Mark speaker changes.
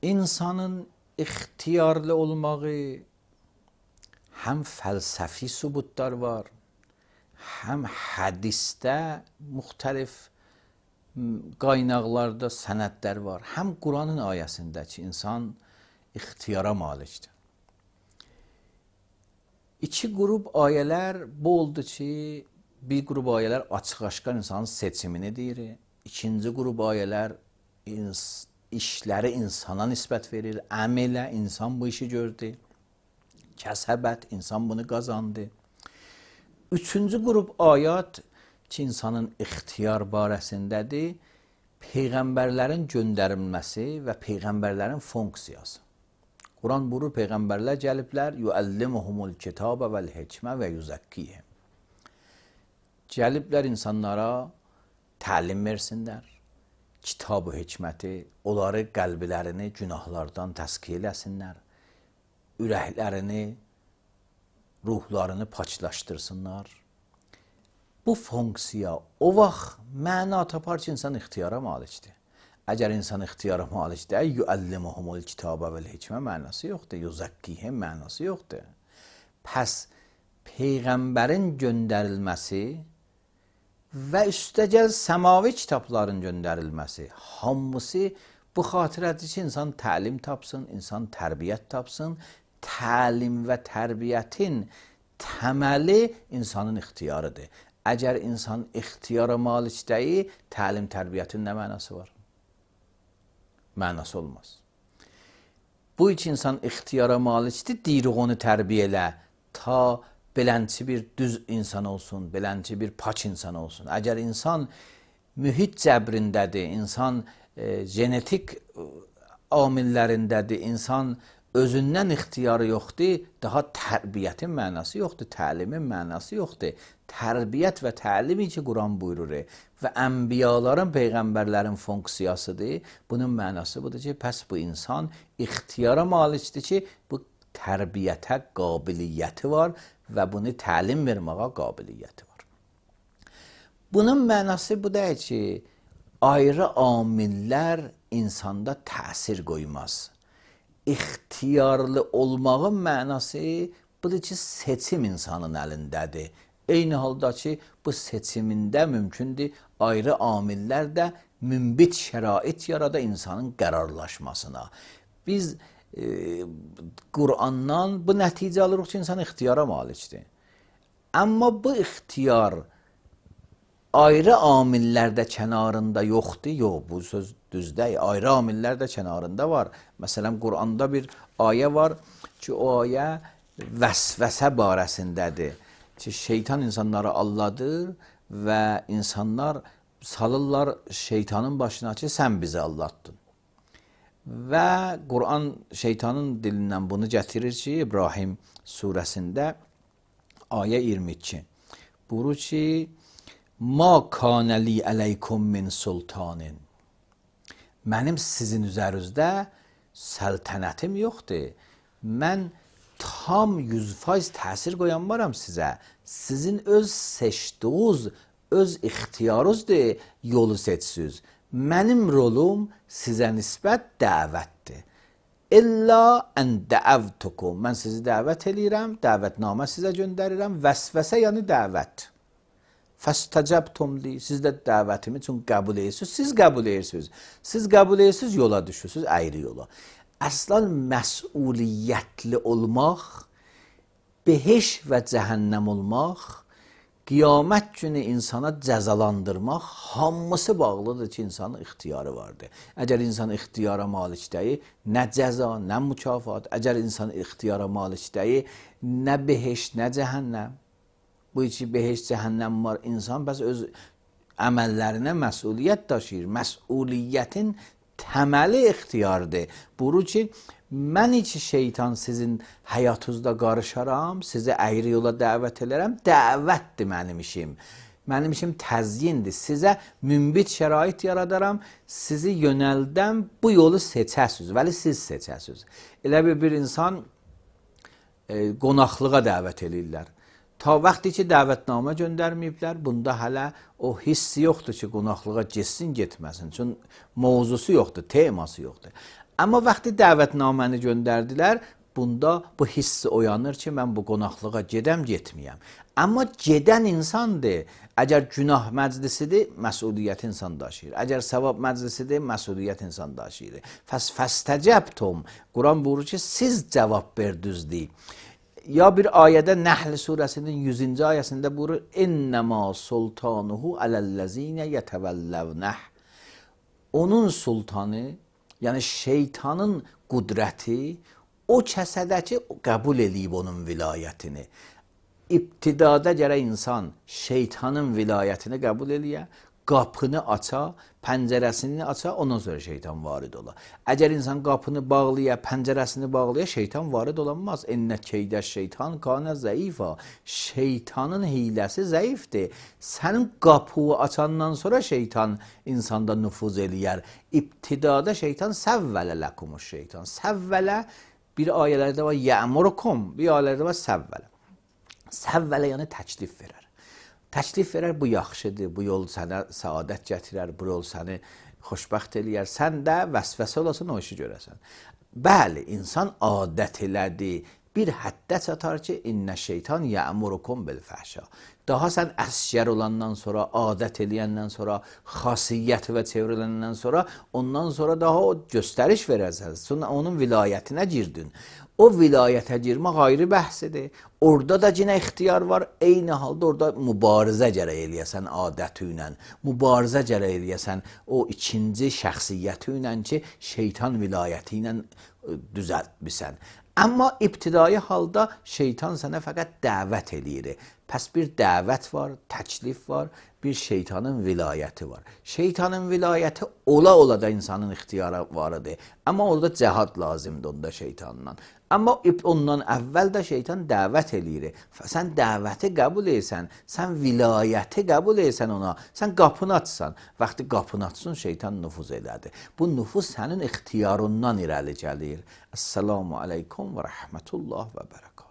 Speaker 1: insanın ixtiyarlı olmağı həm fəlsəfi sübutlar var, həm hədisdə müxtəlif qaynaqlarda sənədlər var, həm Quranın ayəsində ki, insan ixtiyara malikdir. İki qrup ayələr bu oldu ki, bir qrup ayələr açıq-aşkar insanın seçimini deyir, ikinci qrup ayələr işləri insana nisbət verir, əmələ insan bu işi gördü, kəsəbət insan bunu qazandı. Üçüncü qrup ayət ki, insanın ixtiyar barəsindədir, peyğəmbərlərin göndərilməsi və peyğəmbərlərin funksiyası. Quran buyurur, peyğəmbərlər gəliblər, yuəllimuhumul kitabə vəl hikmə və yuzakkihim. Gəliblər insanlara təlim versinlər, kitab-ı hikməti, onları qəlblərini günahlardan təskiyə eləsinlər, ürəklərini, ruhlarını paçlaşdırsınlar. Bu funksiya o vaxt məna tapar ki, insan ixtiyara malikdir. Əgər insan ixtiyara malikdir, yuəllimuhumul kitabə vəl hikmə mənası yoxdur, yuzakkihim mənası yoxdur. Pəs peyğəmbərin göndərilməsi və üstəgəl səmavi kitabların göndərilməsi, hamısı bu xatirədir ki, insan təlim tapsın, insan tərbiyyət tapsın. Təlim və tərbiyyətin təməli insanın ixtiyarıdır. Əgər insan ixtiyara malik deyil, təlim tərbiyyətin nə mənası var? Mənası olmaz. Bu iki insan ixtiyara malikdir, deyirik onu tərbiyə elə, ta belənçi bir düz insan olsun, belənçi bir paç insan olsun. Əgər insan mühit cəbrindədir, insan genetik amillərindədir, insan özündən ixtiyarı yoxdur, daha tərbiyyətin mənası yoxdur, təlimin mənası yoxdur. Tərbiyyət və təlimi ki, Quran buyurur və ənbiyaların, peyğəmbərlərin funksiyasıdır. Bunun mənası budur ki, pəs bu insan ixtiyara malikdir ki, bu tərbiyyətə qabiliyyəti var və bunu təlim verməyə qabiliyyəti var. Bunun mənası bu deyil ki, ayrı amillər insanda təsir qoymaz. İxtiyarlı olmağın mənası budur ki, seçim insanın əlindədir. Eyni halda ki, bu seçimində mümkündür, ayrı amillər də münbit şərait yarada insanın qərarlaşmasına. Biz Qurandan bu nəticə alırıq ki, insan ixtiyara malikdir. Amma bu ixtiyar ayrı amillərdə kənarında yoxdur, yox, bu söz düz deyil, ayrı amillər də kənarında var. Məsələn, Quranda bir ayə var ki, o ayə vəsvəsə barəsindədir ki, şeytan insanları alladır və insanlar salırlar şeytanın başına ki, sən bizi allatdın. Və Quran şeytanın dilindən bunu gətirir ki, İbrahim surəsində ayə 22 buyurur ki, Ma kana li aleykum min sultanin. Mənim sizin üzərinizdə səltənətim yoxdur. Mən tam 100% təsir qoyanmaram sizə. Sizin öz seçdiyiniz, öz ixtiyarınızdır, yolu seçsiniz. Mənim rolum sizə nisbət dəvətdir. İlla ən dəəvtukum. Mən sizi dəvət eləyirəm, dəvətnamə sizə göndərirəm. Vəsvəsə yəni dəvət. Fəstəcəbtum li, siz də dəvətimi üçün qəbul edirsiniz, siz qəbul edirsiniz. Siz qəbul edirsiniz, yola düşürsünüz, ayrı yola. Əslan məsuliyyətli olmaq, behiş və cəhənnəm olmaq, qiyamət günü insana cəzalandırmaq, hamısı bağlıdır ki, insanın ixtiyarı vardır. Əgər insan ixtiyara malik deyil, nə cəza, nə mükafat, əgər insan ixtiyara malik deyil, nə behiş, nə cəhənnəm. Bu içi behiş, cəhənnəm var, insan bəs öz əməllərinə məsuliyyət daşıyır. Məsuliyyətin təməli ixtiyardır. Buyurur ki, mən içi şeytan sizin həyatınızda qarışaram, sizi əyri yola dəvət edərəm, dəvətdir mənim işim. Mənim işim təzyindir. Sizə münbit şərait yaradaram, sizi yönəldəm, bu yolu seçəsiniz, vəli siz seçəsiniz. Elə bir insan qonaqlığa dəvət edirlər. Ta vaxtı ki, dəvətnamə göndərməyiblər, bunda hələ o hissi yoxdur ki, qonaqlığa getsin, getməsin. Çünki mövzusu yoxdur, teması yoxdur. Amma vaxtı dəvətnaməni göndərdilər, bunda bu hiss oyanır ki, mən bu qonaqlığa gedəm, getməyəm. Amma gedən insandır. Əgər günah məclisidir, məsuliyyət insan daşıyır. Əgər savab məclisidir, məsuliyyət insan daşıyır. Fəstəcəbtum. Quran buyurur ki, siz cavab verdiniz. Ya bir ayədə Nəhl surəsinin 100-cü ayəsində buyurur, İnnəmə sultanuhu aləl-ləzinə yətəvəlləvnəh. Onun sultanı, yəni şeytanın qudrəti o kəsədəki qəbul eləyib onun vilayətini. İbtidada gərək insan şeytanın vilayətini qəbul eləyə, qapını aça, pəncərəsini aça, ondan sonra şeytan varid ola. Əgər insan qapını bağlaya, pəncərəsini bağlaya, şeytan varid olanmaz. Ennə keydə şeytan kanə zəifa. Şeytanın hiləsi zəifdir. Sənin qapını açandan sonra şeytan insanda nüfuz eləyər. İbtidada şeytan səvvələ ləkumus şeytan. Səvvələ bir ayələrdə var, yəmurukum, bir ayələrdə var səvvələ. Səvvələ yəni təklif verər. Təklif verər, bu yaxşıdır, bu yol sənə səadət gətirər, bu yol səni xoşbəxt eləyər. Sən də vəsvəsə olasın, o işi görəsən. Bəli, insan adət elədi. Bir həddə çatar ki, innə şeytan yəmurukum bil fəhşa. Daha sən əsgər olandan sonra, adət eləyəndən sonra, xasiyyət və çevriləndən sonra, ondan sonra daha o göstəriş verərsən. Sonra onun vilayətinə girdin. O vilayətə girmək ayrı bəhsidir. Orada da yenə ixtiyar var. Eyni halda orada mübarizə gərək eləyəsən adəti ilə. Mübarizə gərək eləyəsən o ikinci şəxsiyyəti ilə ki, şeytan vilayəti ilə düzəltmisən. Amma ibtidai halda şeytan sənə fəqət dəvət eləyir. Pəs bir dəvət var, təklif var, bir şeytanın vilayəti var. Şeytanın vilayəti ola da insanın ixtiyarı varıdır. Amma orada cəhad lazımdır onda şeytanla. Amma ondan əvvəl də şeytan dəvət eləyir. Sən dəvəti qəbul etsən, sən vilayəti qəbul etsən ona, sən qapını açsan. Vaxtı qapını açsın, şeytan nüfuz elədi. Bu nüfuz sənin ixtiyarından irəli gəlir. Əssalamu aleykum və rəhmətullah və bərəkət.